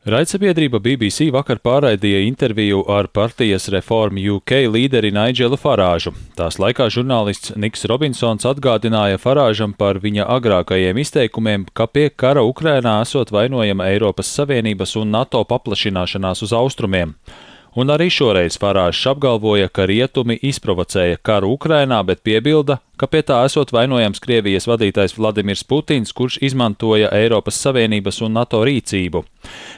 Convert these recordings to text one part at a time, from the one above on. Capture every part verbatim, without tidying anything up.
Raidsabiedrība B B C vakar pārraidīja interviju ar partijas Reform U K līderi Nigelu Farāžu. Tās laikā žurnālists Niks Robinsons atgādināja Farāžam par viņa agrākajiem izteikumiem, ka pie kara Ukrainā esot vainojama Eiropas Savienības un NATO paplašināšanās uz austrumiem. Un arī šoreiz Farāžs apgalvoja, ka rietumi izprovocēja karu Ukrainā, bet piebilda, ka pie tā esot vainojams Krievijas vadītājs Vladimirs Putins, kurš izmantoja Eiropas Savienības un NATO rīcību.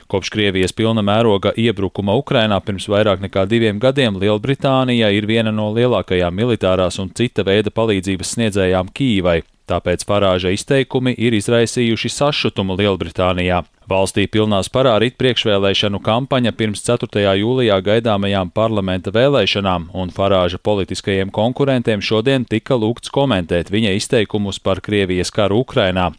Kopš Krievijas pilna mēroga iebrukuma Ukrainā pirms vairāk nekā diviem gadiem Lielbritānija ir viena no lielākajām militārās un cita veida palīdzības sniedzējām Kīvai. Tāpēc Farāža izteikumi ir izraisījuši sašutumu Lielbritānijā. Valstī pilnā sparā rit priekšvēlēšanu kampaņa pirms ceturtajā jūlijā gaidāmajām parlamenta vēlēšanām, un Farāža politiskajiem konkurentiem šodien tika lūgts komentēt viņa izteikumus par Krievijas karu Ukrainā.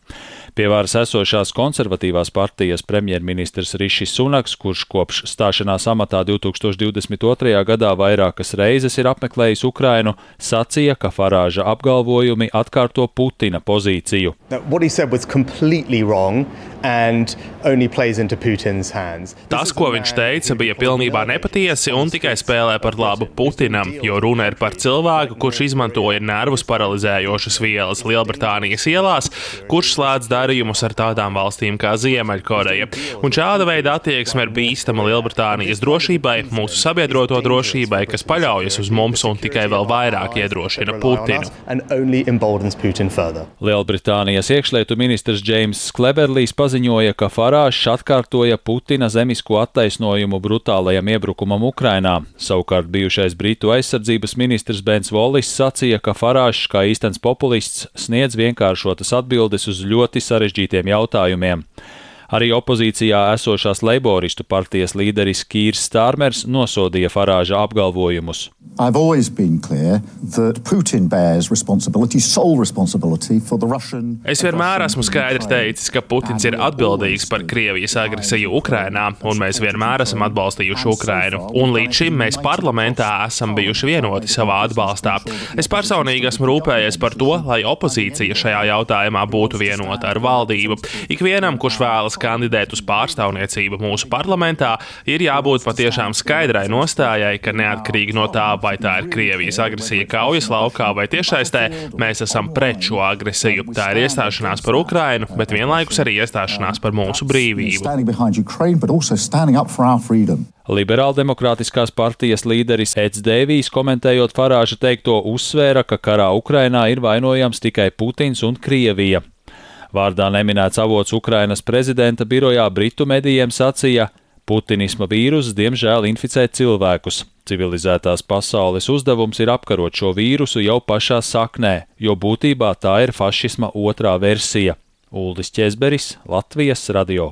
Pie varas esošās konservatīvās partijas premjerministrs Rišis Sunaks, kurš kopš stāšanās amatā divtūkstoš divdesmit otrajā gadā vairākas reizes ir apmeklējis Ukrainu, sacīja, ka Farāža apgalvojumi atkārto Putina pozīciju. Tas, ko viņš teica, bija pilnībā nepatiesi un tikai spēlē par labu Putinam, jo runa ir par cilvēku, kurš izmantoja nervus paralizējošas vielas Lielbritānijas ielās, kurš slēdz darījumus ar tādām valstīm kā Ziemeļkoreja. Un šāda veida attieksme ir bīstama Lielbritānijas drošībai, mūsu sabiedroto drošībai, kas paļaujas uz mums un tikai vēl vairāk iedrošina Putinu. Lielbritānijas iekšlietu ministrs Džeims Kleberlijs paziņoja, ka Farāžs atkārtoja Putina zemisko attaisnojumu brutālajam iebrukumam Ukrainā. Savukārt bijušais Britu aizsardzības ministrs Bens Wallis sacīja, ka Farāžs, kā īstens populists, sniedz vienkāršotas atbildes uz ļoti sarežģītiem jautājumiem. Arī opozīcijā esošās leiboristu partijas līderis Kīrs Stārmers nosodīja Farāža apgalvojumus. Es vienmēr esmu skaidri teicis, ka Putins ir atbildīgs par Krievijas agresiju Ukrainā, un mēs vienmēr esam atbalstījuši Ukrainu. Un līdz šim mēs parlamentā esam bijuši vienoti savā atbalstā. Es personīgi esmu rūpējies par to, lai opozīcija šajā jautājumā būtu vienota ar valdību. Ikvienam, kurš vēlas kandidēt uz pārstāvniecību mūsu parlamentā, ir jābūt patiešām skaidrai nostājai, ka neatkarīgi no tā, vai tā ir Krievijas agresija kaujas laukā vai tiešsaistē, mēs esam pret šo agresiju. Tā ir iestāšanās par Ukrainu, bet vienlaikus arī iestāšanās par mūsu brīvību. Liberāldemokrātiskās partijas līderis Eds Dēvijs, komentējot Farāža teikto, uzsvēra, ka karā Ukrainā ir vainojams tikai Putins un Krievija. Vārdā neminēts avots Ukrainas prezidenta birojā Britu medijiem sacīja, Putinisma vīruss diemžēl inficē cilvēkus. Civilizētās pasaules uzdevums ir apkarot šo vīrusu jau pašā saknē, jo būtībā tā ir fašisma otrā versija. Uldis Ķezberis, Latvijas radio.